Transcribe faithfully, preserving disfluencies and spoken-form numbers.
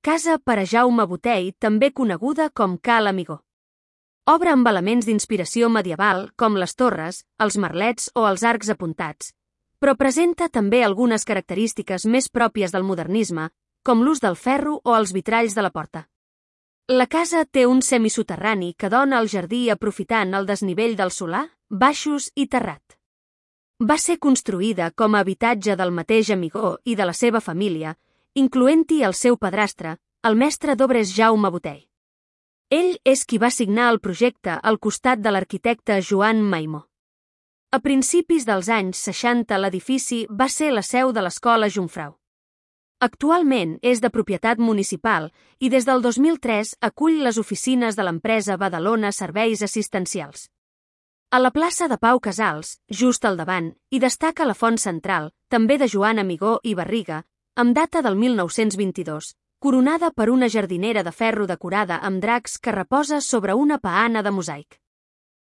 casa per a Jaume Botey, també coneguda com Ca l'Amigó. Obra amb elements d'inspiració medieval, com les torres, els merlets o els arcs apuntats, però presenta també algunes característiques més pròpies del modernisme, com l'ús del ferro o els vitralls de la porta. La casa té un semisoterrani que dona al jardí aprofitant el desnivell del solar, baixos i terrat. Va ser construïda com a habitatge del mateix Amigó i de la seva família, incloent-hi el seu padrastre, el mestre d'obres Jaume Botey. Ell és qui va signar el projecte al costat de l'arquitecte Joan Maimó. A principis dels anys seixanta l'edifici va ser la seu de l'Escola Jungfrau. Actualment és de propietat municipal i des del dos mil tres acull les oficines de l'empresa Badalona Serveis Assistencials. A la plaça de Pau Casals, just al davant, hi destaca la font central, també de Joan Amigó i Barriga, amb data del mil nou-cents vint-i-dos, coronada per una jardinera de ferro decorada amb dracs que reposa sobre una peana de mosaic.